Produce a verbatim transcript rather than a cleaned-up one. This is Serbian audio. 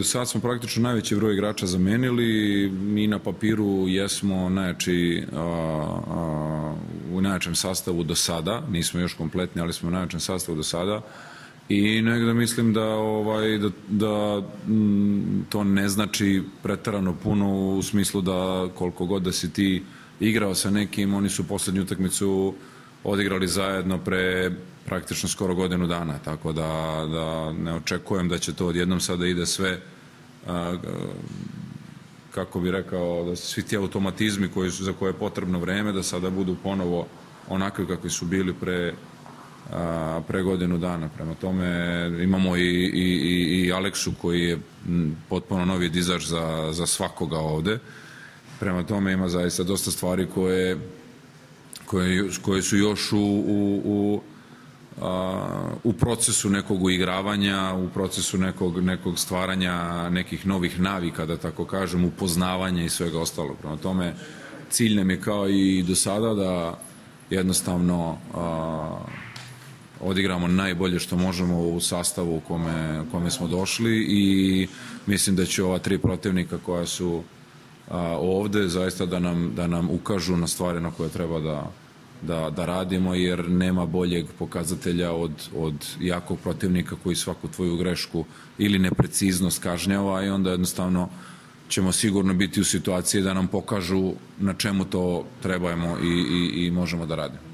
Sad smo praktično najveći broj igrača zamenili, mi na papiru jesmo najjači, a, a, u najjačem sastavu do sada, nismo još kompletni, ali smo u najjačem sastavu do sada i negde mislim da, ovaj, da, da m, to ne znači preterano puno u smislu da koliko god da si ti igrao sa nekim, oni su poslednju utakmicu odigrali zajedno pre praktično skoro godinu dana, tako da, da ne očekujem da će to odjednom sada ide sve, a, kako bi rekao, da svi ti automatizmi koji su, za koje je potrebno vreme, da sada budu ponovo onakvi kakvi su bili pre, a, pre godinu dana. Prema tome imamo i, i, i, i Aleksu koji je potpuno novi dizač za, za svakoga ovde. Prema tome ima zaista dosta stvari koje, koje, koje su još u, u, u u procesu nekog uigravanja, u procesu nekog, nekog stvaranja nekih novih navika, da tako kažem, upoznavanja i svega ostalog. Prema tome, cilj nam je kao i do sada da jednostavno a, odigramo najbolje što možemo u sastavu u kome, u kome smo došli i mislim da će ova tri protivnika koja su a, ovde zaista da nam, da nam ukažu na stvari na koje treba da Da, da radimo, jer nema boljeg pokazatelja od, od jakog protivnika koji svaku tvoju grešku ili nepreciznost kažnjava i onda jednostavno ćemo sigurno biti u situaciji da nam pokažu na čemu to trebamo i, i, i možemo da radimo.